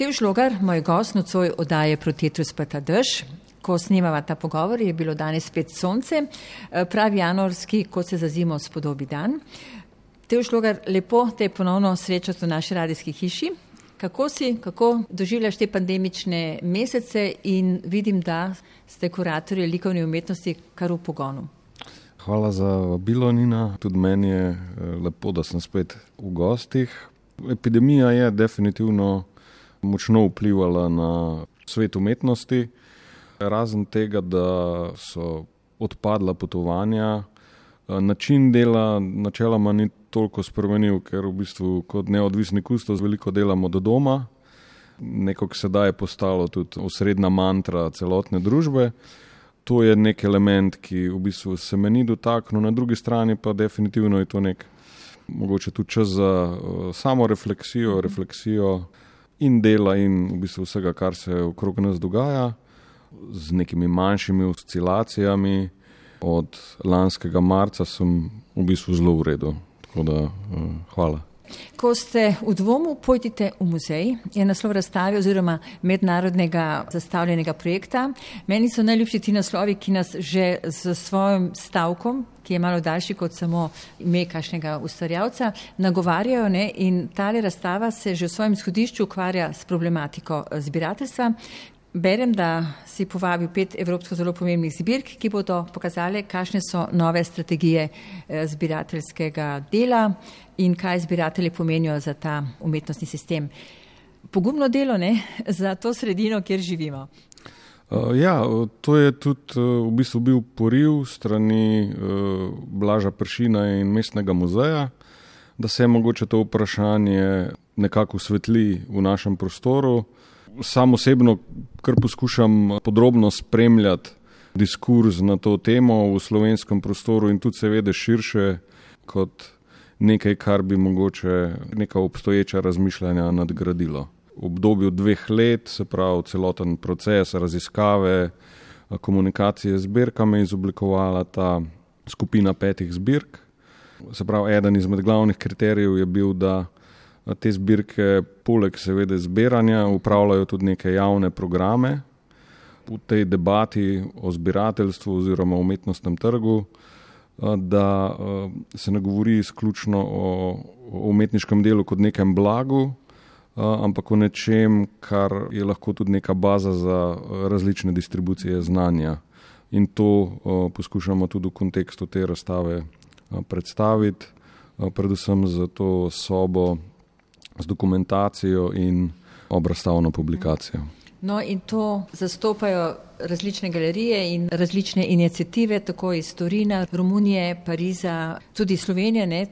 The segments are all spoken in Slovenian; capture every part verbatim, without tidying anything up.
Matevž Logar, moj gost nocoj oddaje Protetrus pa ta dež. Ko snemava ta pogovor, je bilo danes spet sonce, pravi januarski, kot se za zimo spodobi dan. Matevž Logar, lepo te ponovno srečati v naši radijski hiši. Kako si, kako doživljaš te pandemične mesece in vidim, da ste kuratorji likovne umetnosti kar v pogonu. Hvala za vabilo, Nina. Tudi meni je lepo, da sem spet v gostih. Epidemija je definitivno močno vplivala na svet umetnosti. Razen tega, da so odpadla potovanja, način dela načeloma ni toliko spremenil, ker v bistvu kot neodvisni kustos veliko delamo do doma. Nekako sedaj je postalo tudi osrednja mantra celotne družbe. To je nek element, ki v bistvu se me ni dotaknil, na drugi strani pa definitivno je to nek mogoče tudi čas za uh, samo refleksijo, refleksijo in dela in v bistvu vsega, kar se okrog nas dogaja, z nekimi manjšimi oscilacijami. Od lanskega marca sem v bistvu zelo v redu, tako da uh, hvala. Ko ste v dvomu, pojdite v muzej, je naslov razstave oziroma mednarodnega zastavljenega projekta. Meni so najljubši ti naslovi, ki nas že z svojim stavkom, ki je malo daljši kot samo ime kakšnega ustvarjalca, nagovarjajo, ne? In tale razstava se že v svojem izhodišču ukvarja s problematiko zbirateljstva. Berem, da si povabil pet evropsko zelo pomembnih zbirk, ki bodo pokazale, kakšne so nove strategije zbirateljskega dela in kaj zbiratelji pomenijo za ta umetnostni sistem. Pogumno delo, ne, za to sredino, kjer živimo. Uh, ja, to je tudi uh, v bistvu bil poriv strani uh, Blaža Pršina in Mestnega muzeja, da se mogoče to vprašanje nekako osvetli v našem prostoru. Sam osebno kar poskušam podrobno spremljati diskurz na to temo v slovenskem prostoru in tudi seveda širše kot nekaj, kar bi mogoče neka obstoječa razmišljanja nadgradilo. V obdobju dveh let, se pravi celoten proces raziskave, komunikacije z zbirkami, izoblikovala ta skupina petih zbirk. Se pravi, eden izmed glavnih kriterijev je bil, da te zbirke poleg seveda zbiranja upravljajo tudi neke javne programe. V tej debati o zbirateljstvu oziroma umetnostnem trgu, da se ne govori izključno o umetniškem delu kot nekem blagu, ampak o nečem, kar je lahko tudi neka baza za različne distribucije znanja. In to poskušamo tudi v kontekstu te razstave predstaviti, predvsem za to sobo z dokumentacijo in obrazstavno publikacijo. No in to zastopajo različne galerije in različne iniciative, tako iz Torina, Romunije, Pariza, tudi Slovenije, ne?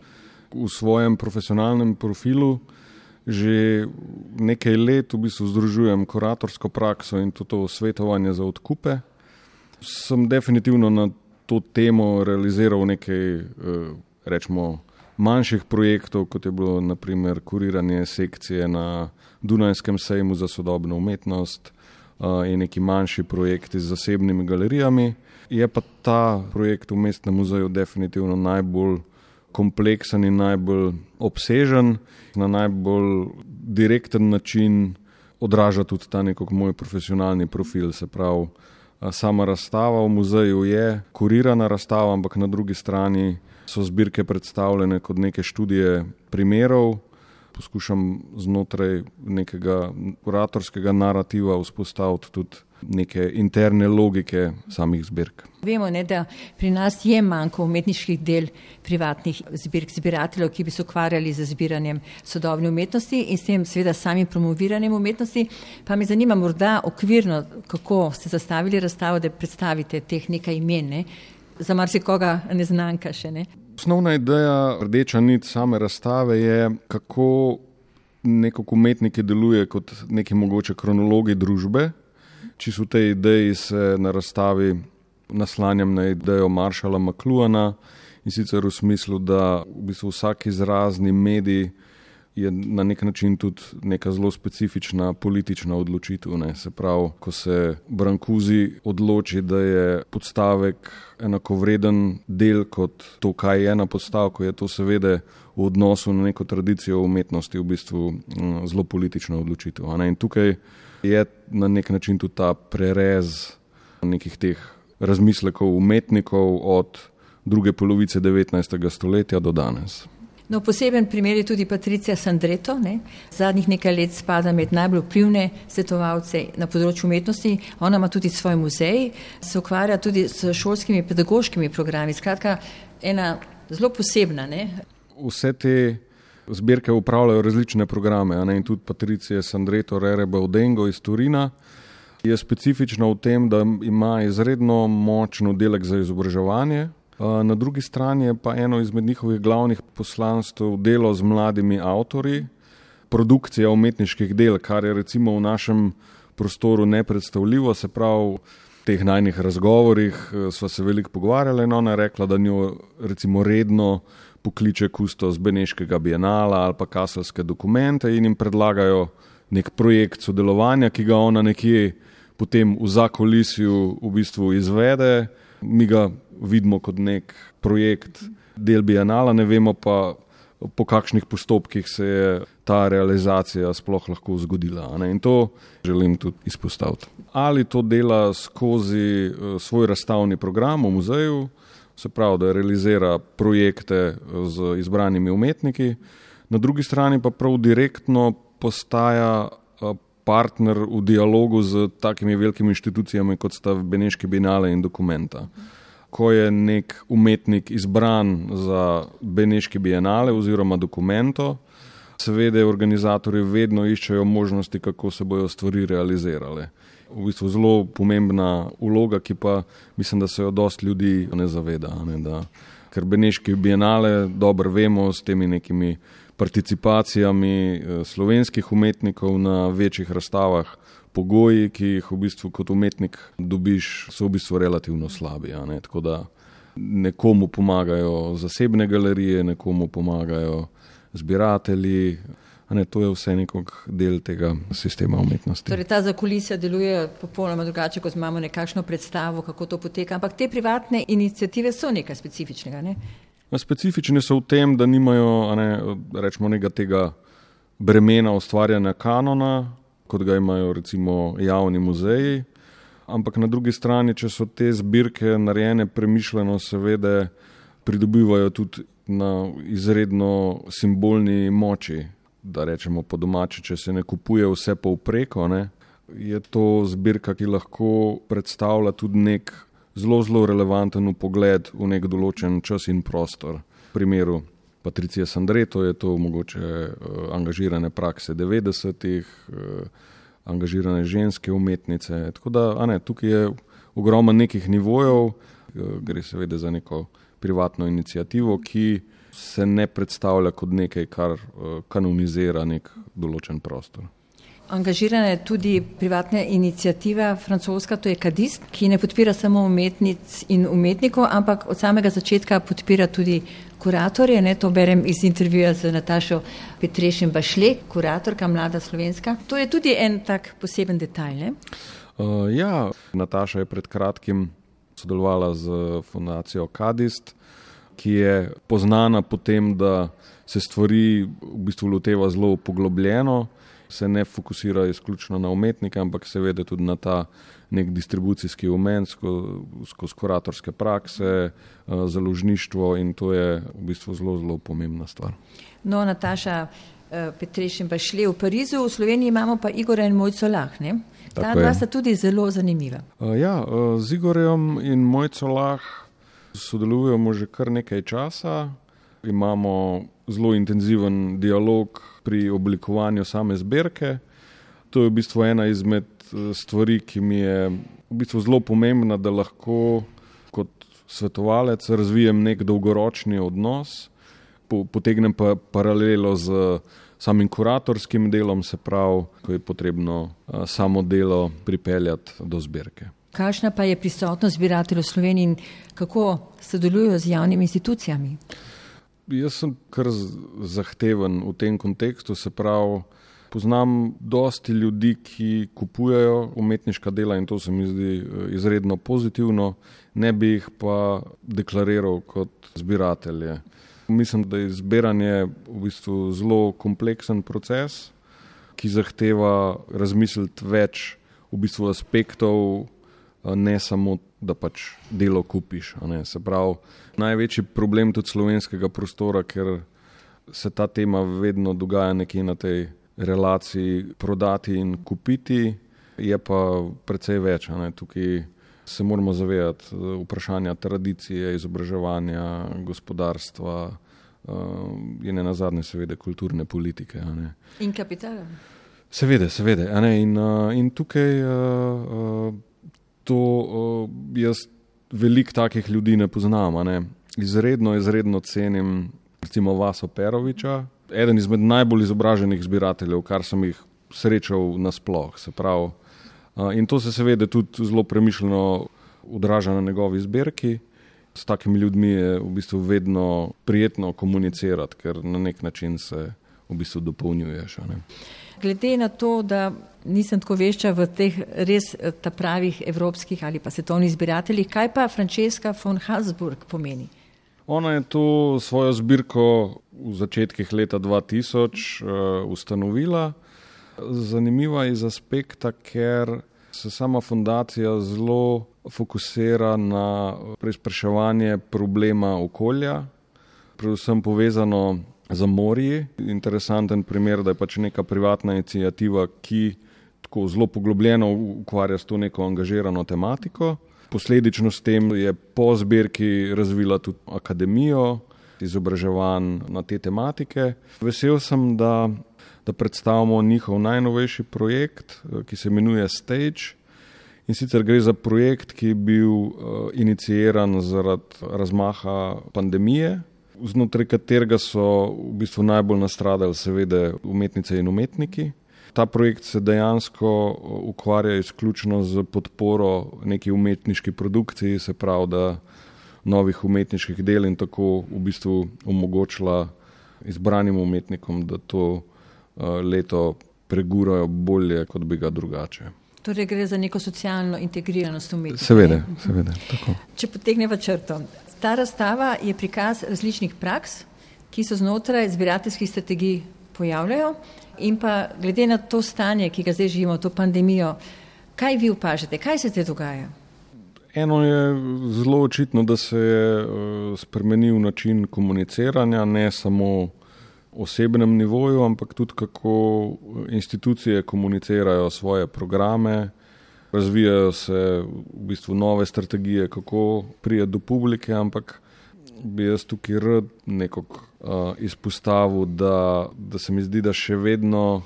V svojem profesionalnem profilu že nekaj let v bistvu združujem kuratorsko prakso in to, to svetovanje za odkupe. Sem definitivno na to temo realiziral nekaj, rečemo, manjših projektov, kot je bilo na primer kuriranje sekcije na Dunajskem sejmu za sodobno umetnost in neki manjši projekti z zasebnimi galerijami. Je pa ta projekt v Mestnem muzeju definitivno najbolj kompleksen in najbolj obsežen, na najbolj direkten način odraža tudi ta nekako moj profesionalni profil, se pravi, sama razstava v muzeju je kurirana razstava, ampak na drugi strani so zbirke predstavljene kot neke študije primerov. Poskušam znotraj nekega kuratorskega narativa vzpostaviti tudi neke interne logike samih zbirk. Vemo, ne, da pri nas je manjko umetniških del privatnih zbirk, zbirateljev, ki bi se ukvarjali z zbiranjem sodobne umetnosti in s tem seveda samim promoviranjem umetnosti. Pa me zanima morda okvirno, kako ste zastavili razstavo, da predstavite teh nekaj imen, ne? Za marsikoga neznanka še, ne? Osnovna ideja, rdeča nit same razstave je, kako nekako umetniki deluje kot neki mogoče kronologi družbe. Čisto v tej ideji se na razstavi naslanjam na idejo Marshalla McLuhana in sicer v smislu, da v bistvu vsak izrazni medij je na nek način tudi neka zelo specifična politična odločitev. Ne. Se pravi, ko se Brancusi odloči, da je podstavek enakovreden del kot to, kaj je na podstavku, je to seveda v odnosu na neko tradicijo umetnosti v bistvu zelo politična odločitev. Ne. In tukaj je na nek način tudi ta prerez nekih teh razmislekov umetnikov od druge polovice devetnajstega stoletja do danes. No, poseben primer je tudi Patricia Sandreto. Ne? Zadnjih nekaj let spada med najbolj vplivne svetovalce na področju umetnosti. Ona ima tudi svoj muzej, se ukvarja tudi s šolskimi pedagoškimi programi. Skratka, ena zelo posebna. Ne? Vse te zbirke upravljajo različne programe. Ne? In tudi Patricia Sandreto Rere Baudengo iz Turina je specifična v tem, da ima izredno močen oddelek za izobraževanje. Na drugi strani je pa eno izmed njihovih glavnih poslanstv delo z mladimi avtorji, produkcija umetniških del, kar je recimo v našem prostoru nepredstavljivo. Se pravi, v teh najnih razgovorih sva se veliko pogovarjala in ona je rekla, da njo recimo redno pokliče kustos Beneškega bienala ali pa kaselske dokumente in jim predlagajo nek projekt sodelovanja, ki ga ona nekje potem v zakulisju v bistvu izvede. Mi ga vidimo kot nek projekt del bienala, ne vemo pa, po kakšnih postopkih se je ta realizacija sploh lahko zgodila. Ne? In to želim tudi izpostaviti. Ali to dela skozi svoj razstavni program v muzeju, se pravi, da realizira projekte z izbranimi umetniki, na drugi strani pa prav direktno postaja partner v dialogu z takimi velikimi inštitucijami, kot sta Beneški bienale in Documenta. Ko je nek umetnik izbran za Beneški bienale oziroma Documento, seveda organizatorji vedno iščejo možnosti, kako se bojo stvari realizirale. V bistvu zelo pomembna vloga, ki pa mislim, da se jo dosti ljudi ne zaveda. Ne, da, ker Beneški bienale, dobro vemo, s temi nekimi participacijami slovenskih umetnikov na večjih razstavah, pogoji, ki jih v bistvu kot umetnik dobiš, so v bistvu relativno slabi. Ne? Tako da nekomu pomagajo zasebne galerije, nekomu pomagajo zbiratelji. Ne, to je vse nekog del tega sistema umetnosti. Torej, ta zakulisja deluje popolnoma drugače, kot imamo nekakšno predstavo, kako to poteka, ampak te privatne iniciative so nekaj specifičnega, ne? Specifične so v tem, da nimajo, ne, rečemo, nekega tega bremena ustvarjanja kanona, kot ga imajo recimo javni muzeji, ampak na drugi strani, če so te zbirke narejene premišljeno, seveda pridobivajo tudi na izredno simbolni moči, da rečemo po domači, če se ne kupuje vse povpreko, ne, je to zbirka, ki lahko predstavlja tudi nek zelo, zelo relevanten pogled v nek določen čas in prostor. V primeru Patricije Sandreto je to mogoče angažirane prakse devetdesetih, angažirane ženske umetnice. Tako da, a ne, tukaj je ogromno nekih nivojev, gre seveda za neko privatno inicijativo, ki se ne predstavlja kot nekaj, kar kanonizira nek določen prostor. Angažirana je tudi privatna inicijativa francoska, to je Kadist, ki ne podpira samo umetnic in umetnikov, ampak od samega začetka podpira tudi kuratorje. Ne, to berem iz intervjuja z Natašo Petrešin Bašle, kuratorka mlada slovenska. To je tudi en tak poseben detajl. Ne? Uh, ja, Nataša je pred kratkim sodelovala z fundacijo Kadist, ki je poznana po tem, da se stvari v bistvu loteva zelo poglobljeno, se ne fokusira izključno na umetnike, ampak seveda tudi na ta nek distribucijski umen skozi kuratorske prakse, založništvo in to je v bistvu zelo, zelo pomembna stvar. No, Nataša Petrešin Bašle v Parizu, v Sloveniji imamo pa Igorja in Mojco Lah, ne? Ta dva sta tudi zelo zanimiva. Ja, z Igorjem in Mojco Lah sodelujemo že kar nekaj časa. Imamo zelo intenziven dialog pri oblikovanju same zbirke. To je v bistvu ena izmed stvari, ki mi je v bistvu zelo pomembna, da lahko kot svetovalec razvijem nek dolgoročni odnos, potegnem pa paralelo z samim kuratorskim delom, se pravi, ko je potrebno samo delo pripeljati do zbirke. Kakšna pa je prisotnost zbirateljev v Sloveniji in kako sodelujo z javnimi institucijami? Jaz sem kar zahteven v tem kontekstu, se pravi, poznam dosti ljudi, ki kupujejo umetniška dela in to se mi zdi izredno pozitivno, ne bi jih pa deklariral kot zbiratelje. Mislim, da je zbiranje v bistvu zelo kompleksen proces, ki zahteva razmisliti več v bistvu aspektov, ne samo, da pač delo kupiš. Ne. Se pravi, največji problem tudi slovenskega prostora, ker se ta tema vedno dogaja nekje na tej relaciji prodati in kupiti, je pa precej več. Ne. Tukaj se moramo zavedati vprašanja tradicije, izobraževanja, gospodarstva in ne nazadnje seveda kulturne politike. Ne. In kapitala. Seveda, seveda. Ne. In, in tukaj to jaz veliko takih ljudi ne poznam. Ne. Izredno, izredno cenim recimo Vaso Peroviča, eden izmed najbolj izobraženih zbirateljev, kar sem jih srečal nasploh. Se pravi, in to se seveda tudi zelo premišljeno odraža na njegovi zbirki. S takimi ljudmi je v bistvu vedno prijetno komunicirati, ker na nek način se v bistvu dopolnjuješ. Ne. Glede na to, da nisem tako vešča v teh res ta pravih evropskih ali pa svetovnih zbirateljih, kaj pa Francesca von Habsburg pomeni? Ona je to svojo zbirko v začetkih leta dva tisoč uh, ustanovila. Zanimiva iz aspekta, ker se sama fundacija zelo fokusira na preizpraševanje problema okolja, predvsem povezano z morji. Interesanten primer, da je pač neka privatna iniciativa, ki tako zelo poglobljeno ukvarja s to neko angažirano tematiko. Posledično s tem je po zbirki razvila tudi akademijo, izobraževanj na te tematike. Vesel sem, da, da predstavimo njihov najnovejši projekt, ki se imenuje Stage. In sicer gre za projekt, ki je bil uh, iniciiran zaradi razmaha pandemije, znotraj katerega so v bistvu najbolj nastradali seveda umetnice in umetniki. Ta projekt se dejansko ukvarja izključno z podporo neki umetniški produkciji, se pravi, da novih umetniških del in tako v bistvu omogočila izbranim umetnikom, da to leto pregurajo bolje, kot bi ga drugače. Torej gre za neko socialno integriranost umetnika. Seveda, seveda, tako. Če potegneva črto. Ta razstava je prikaz različnih praks, ki so znotraj zbirateljskih strategij pojavljajo. In pa glede na to stanje, ki ga zdaj živimo, to pandemijo, kaj vi opažate, kaj se te dogaja? Eno je zelo očitno, da se je spremenil način komuniciranja, ne samo osebnem nivoju, ampak tudi kako institucije komunicirajo svoje programe, razvijajo se v bistvu nove strategije, kako priti do publike, ampak bi jaz tukaj rad nekako uh, izpostavil, da, da se mi zdi, da še vedno,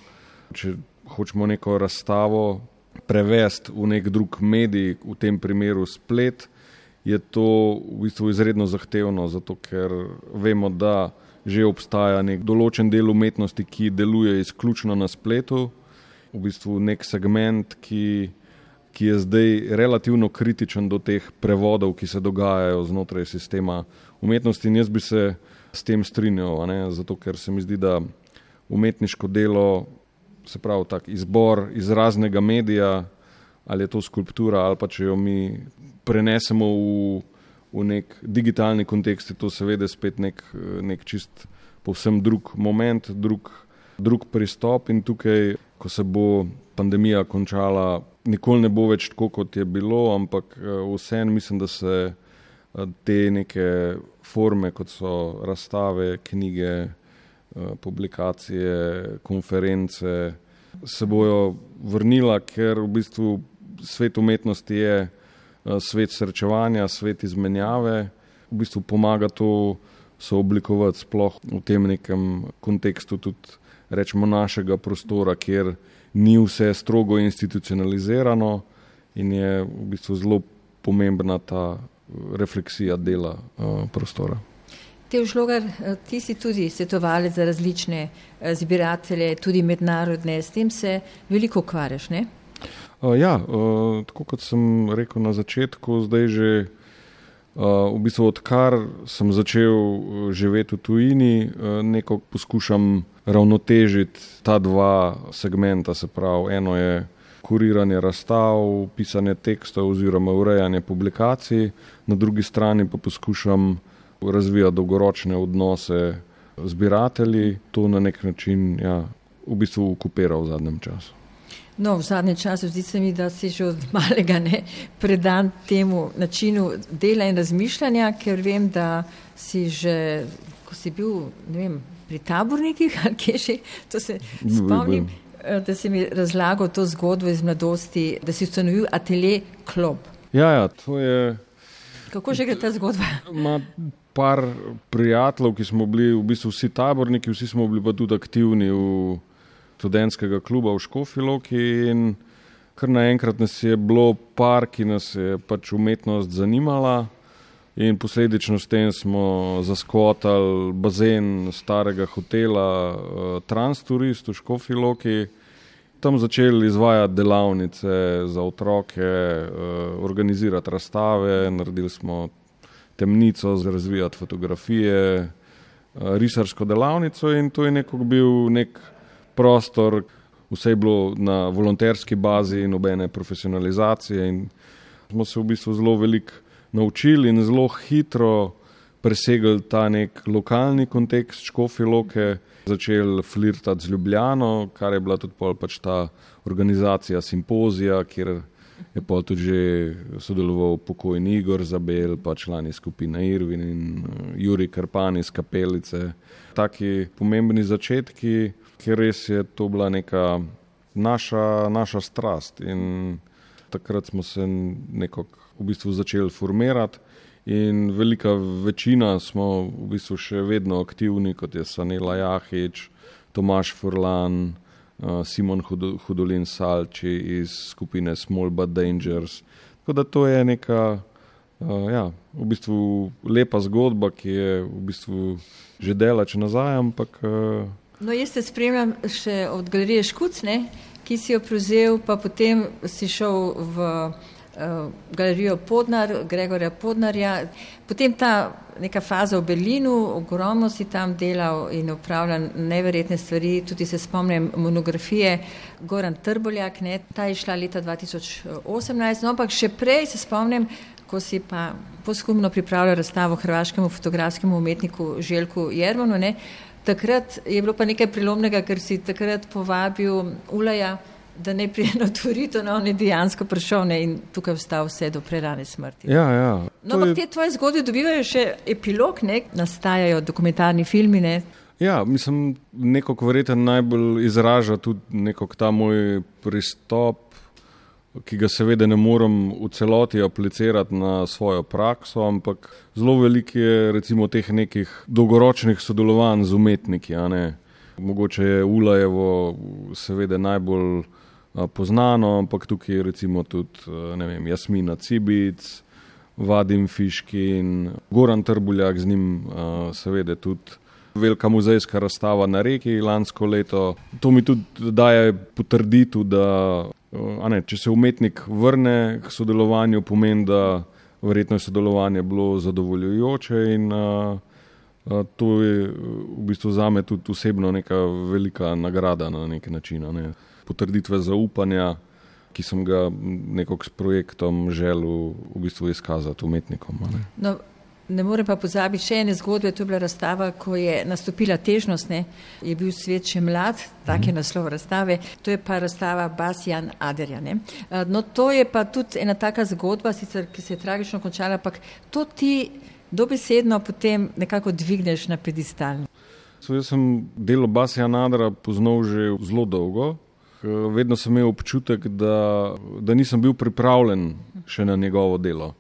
če hočemo neko razstavo prevesti v nek drug medij, v tem primeru splet, je to v bistvu izredno zahtevno, zato ker vemo, da že obstaja nek določen del umetnosti, ki deluje izključno na spletu, v bistvu nek segment, ki, ki je zdaj relativno kritičen do teh prevodov, ki se dogajajo znotraj sistema umetnosti, in jaz bi se s tem strinjal, ne? Zato ker se mi zdi, da umetniško delo, se pravi tak izbor izraznega medija, ali je to skulptura, ali pa če jo mi prenesemo v, v nek digitalni kontekst, je to seveda spet nek, nek čist povsem drug moment, drug, drug pristop, in tukaj, ko se bo pandemija končala, nikoli ne bo več tako, kot je bilo, ampak vseeno mislim, da se te neke forme, kot so razstave, knjige, publikacije, konference, se bojo vrnila, ker v bistvu svet umetnosti je svet srečevanja, svet izmenjave, v bistvu pomaga to sooblikovati sploh v tem nekem kontekstu tudi, rečemo, našega prostora, kjer ni vse strogo institucionalizirano in je v bistvu zelo pomembna ta refleksija dela uh, prostora. Teo Žlogar, ti si tudi svetovalec za različne zbiratelje, tudi mednarodne, s tem se veliko ukvarjaš, ne? Uh, ja, uh, tako kot sem rekel na začetku, zdaj že V bistvu odkar sem začel živeti v tujini, nekako poskušam ravnotežiti ta dva segmenta, se pravi, eno je kuriranje razstav, pisanje tekstov oziroma urejanje publikacij, na drugi strani pa poskušam razvijati dolgoročne odnose z zbiratelji, to na nek način ja, v bistvu okupiral v zadnjem času. No, v zadnjem času zdi se mi, da si že od malega ne predan temu načinu dela in razmišljanja, ker vem, da si že, ko si bil, ne vem, pri tabornikih ali kje še, to se spomnim, da si mi razlagal to zgodbo iz mladosti, da si ustanovil atelje Klob. Ja, ja, to je... Kako že gre ta zgodba? Ma par prijateljev, ki smo bili v bistvu vsi taborniki, vsi smo bili pa tudi aktivni v študentskega kluba v Škofji Loki in kar naenkrat nas je bilo par, ki nas je pač umetnost zanimala in posledično s tem smo zaskvotali bazen starega hotela Transturist v Škofji Loki, tam začeli izvajati delavnice za otroke, organizirati razstave, naredili smo temnico za razvijati fotografije, risarsko delavnico in to je nekako bil nek prostor, vse je bilo na volonterski bazi, nobene profesionalizacije in smo se v bistvu zelo veliko naučili in zelo hitro presegli ta nek lokalni kontekst Škofje Loke, začeli flirtati z Ljubljano, kar je bila tudi pol pač ta organizacija simpozija, kjer je pol tudi že sodeloval pokojni Igor Zabel, pa člani skupine Irvin in Jurij Krpan iz Kapelice. Taki pomembni začetki, ker res je to bila neka naša, naša strast in takrat smo se nekako v bistvu začeli formirati in velika večina smo v bistvu še vedno aktivni, kot je Sanela Jahič, Tomaž Furlan, Simon Hudolin Salči iz skupine Small But Dangerous. Tako da to je neka ja, v bistvu lepa zgodba, ki je v bistvu že delač nazaj, ampak No, jaz te spremljam še od galerije Škuc, ne, ki si jo prevzel, pa potem si šel v uh, galerijo Podnar, Gregorja Podnarja. Potem ta neka faza v Berlinu, ogromno si tam delal in upravljal neverjetne stvari, tudi se spomnim monografije Goran Trboljak, ne, ta je šla leta dva tisoč osemnajst, no, ampak še prej se spomnim, ko si pa poskumno pripravljal razstavo hrvaškemu fotografskemu umetniku Željku Jermanu, ne. Takrat je bilo pa nekaj prelomnega, ker si takrat povabil Ulaja, da ne prije na Torito, no, on je dejansko prišel ne, in tukaj vstal vse do prerane smrti. Ja, ja. No, ampak je... te tvoje zgodbe dobivajo še epilog, ne, nastajajo dokumentarni filmi, ne. Ja, mislim, nekako verjetno najbolj izraža tudi nekako ta moj pristop, ki ga seveda ne morem v celoti aplicirati na svojo prakso, ampak zelo veliko je recimo teh nekih dolgoročnih sodelovanj z umetniki, a ne. Mogoče je Ulajevo seveda najbolj a, poznano, ampak tukaj je recimo tudi, ne vem, Jasmina Cibic, Vadim Fiškin, Goran Trbuljak, z njim a, seveda tudi velika muzejska razstava na Reki lansko leto. To mi tudi daje potrditev, da a ne, če se umetnik vrne k sodelovanju, pomeni, da verjetno je sodelovanje bilo zadovoljujoče in a, a, to je v bistvu zame tudi osebno neka velika nagrada na nek način. Ne. Potrditve zaupanja, ki sem ga nekako s projektom želel v bistvu izkazati umetnikom. Ne. No, ne morem pa pozabiti še ene zgodbe, to je bila razstava, ko je nastopila težnost, ne, je bil svet še mlad, tak je naslov razstave, to je pa razstava Bas Jan Aderja, ne. No, to je pa tudi ena taka zgodba, sicer, ki se je tragično končala, ampak to ti dobesedno potem nekako dvigneš na pedestal. So, jaz sem delo Bas Jan Aderja poznal že zelo dolgo, vedno sem imel občutek, da, da nisem bil pripravljen še na njegovo delo.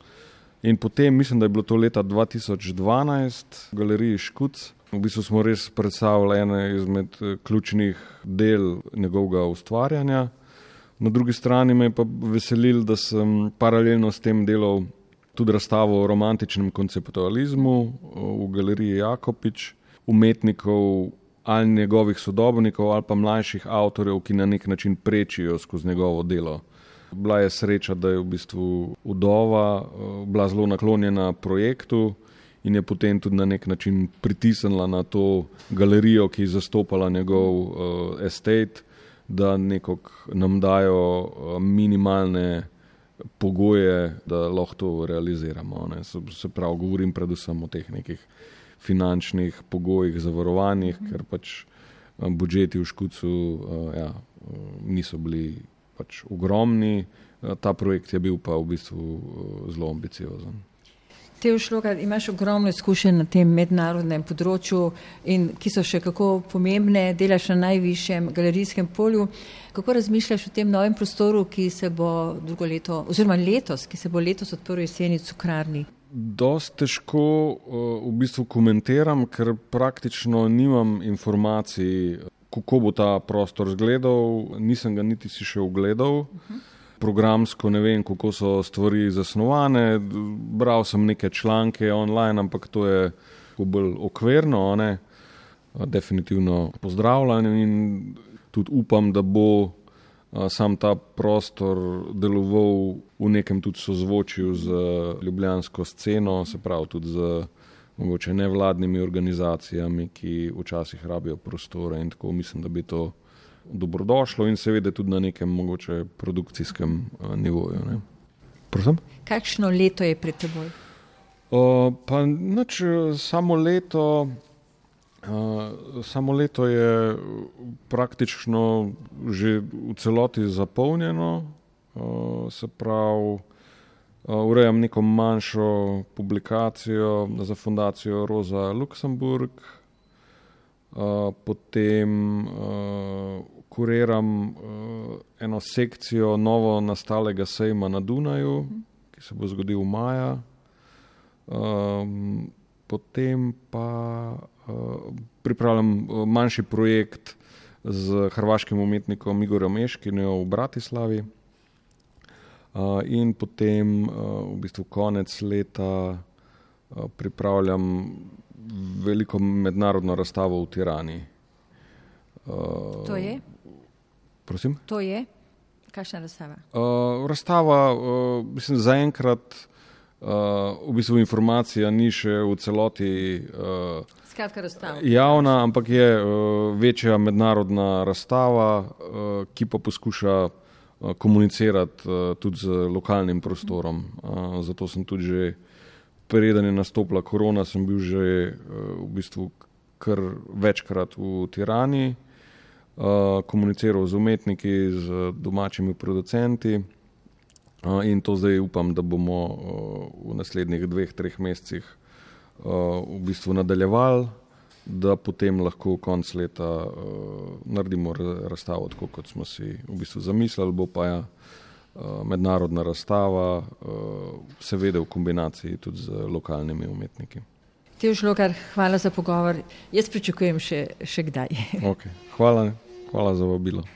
In potem, mislim, da je bilo to leta dva tisoč dvanajst v galeriji Škuc. V bistvu smo res predstavili ene izmed ključnih del njegovega ustvarjanja. Na drugi strani me je pa veselil, da sem paralelno s tem delal tudi razstavo o romantičnem konceptualizmu v galeriji Jakopič, umetnikov ali njegovih sodobnikov ali pa mlajših avtorjev, ki na nek način prečijo skozi njegovo delo. Bila je sreča, da je v bistvu vdova bila zelo naklonjena projektu in je potem tudi na nek način pritisnila na to galerijo, ki je zastopala njegov uh, estate, da nekako nam dajo minimalne pogoje, da lahko to realiziramo. Ne. Se, se pravi, govorim predvsem o teh nekih finančnih pogojih, zavarovanjih, mm. ker pač budžeti v Škucu uh, ja, niso bili pač ogromni, ta projekt je bil pa v bistvu zelo ambiciozen. Teo Šlogar, imaš ogromno izkušenj na tem mednarodnem področju, in ki so še kako pomembne, delaš na najvišjem galerijskem polju. Kako razmišljaš o tem novem prostoru, ki se bo drugo leto, oziroma letos, ki se bo letos odprl jeseni v Cukrarni? Dost težko v bistvu komentiram, ker praktično nimam informacij, kako bo ta prostor izgledal, nisem ga niti si še ogledal. Uh-huh. Programsko ne vem, kako so stvari zasnovane, bral sem neke članke online, ampak to je bolj okvirno, ne? Definitivno pozdravljam in tudi upam, da bo sam ta prostor deloval v nekem tudi sozvočju z ljubljansko sceno, se pravi tudi z mogoče nevladnimi organizacijami, ki včasih rabijo prostore in tako mislim, da bi to dobrodošlo in seveda tudi na nekem mogoče produkcijskem uh, nivoju. Ne. Prosim? Kakšno leto je pred teboj? Uh, pa nič, samo leto, uh, samo leto je praktično že v celoti zapolnjeno, uh, se pravi, urejam neko manjšo publikacijo za fundacijo Rosa Luxemburg, potem kuriram eno sekcijo novo nastalega sejma na Dunaju, ki se bo zgodil maja, potem pa pripravljam manjši projekt z hrvaškim umetnikom Igorjem Eškinjo v Bratislavi. Uh, in potem uh, v bistvu konec leta uh, pripravljam veliko mednarodno razstavo v Tirani. Uh, to je? Prosim? To je? Kakšna razstava? Uh, razstava, uh, mislim, zaenkrat uh, v bistvu informacija ni še v celoti uh, Skratka razstava. Javna, ampak je uh, večja mednarodna razstava, uh, ki pa poskuša komunicirati uh, tudi z lokalnim prostorom. Uh, zato sem tudi že, preden je nastopila korona, sem bil že uh, v bistvu kar večkrat v Tirani, uh, komuniciral z umetniki, z domačimi producenti uh, in to zdaj upam, da bomo uh, v naslednjih dveh, treh mesecih uh, v bistvu nadaljevali, da potem lahko konc leta uh, naredimo razstavo tako, kot smo si v bistvu zamislili, bo pa ja uh, mednarodna razstava, uh, seveda v kombinaciji tudi z lokalnimi umetniki. Teo Šlogar, hvala za pogovor. Jaz pričakujem še, še kdaj. Okay. Hvala, hvala za vabilo.